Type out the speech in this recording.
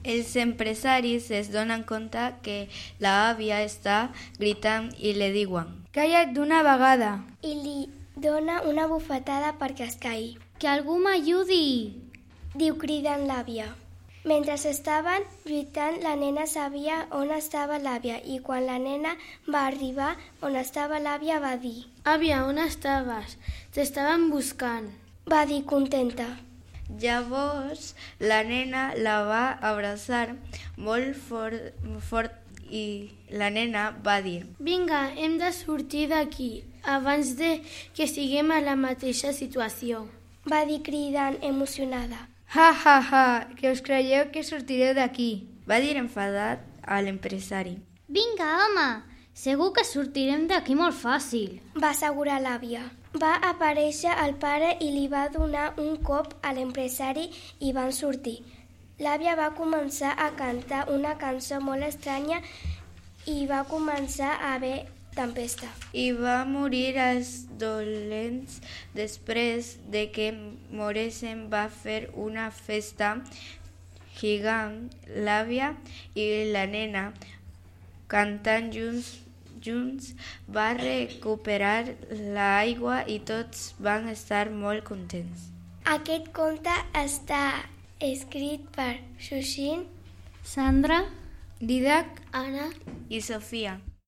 Els empresaris es donen compte que l'àvia està gritant i li diuen: «Calla't d'una vegada!» I li dona una bufetada perquè es caigui. «Que algú m'ajudi!» diu cridant l'àvia. Mentre estaven lluitant, la nena sabia on estava l'àvia i quan la nena va arribar on estava l'àvia va dir: «Àvia, on estaves? T'estaven buscant», va dir contenta. Llavors la nena la va abraçar molt fort i la nena va dir: «Vinga, hem de sortir d'aquí abans de que siguem a la mateixa situació», va dir cridant emocionada. «Ha, ha, ha, que us creieu que sortireu d'aquí», va dir enfadat a l'empresari. «Vinga, home, segur que sortirem d'aquí molt fàcil», va assegurar l'àvia. Va aparèixer el pare i li va donar un cop a l'empresari i van sortir. L'àvia va començar a cantar una cançó molt estranya i va començar a haver tempesta. I va morir els dolents. Després de que moressin va fer una festa gegant. L'àvia i la nena, cantant junts, va recuperar l'aigua i tots van estar molt contents. Aquest conte està escrit per Sushin, Sandra, Didac, Anna i Sofia.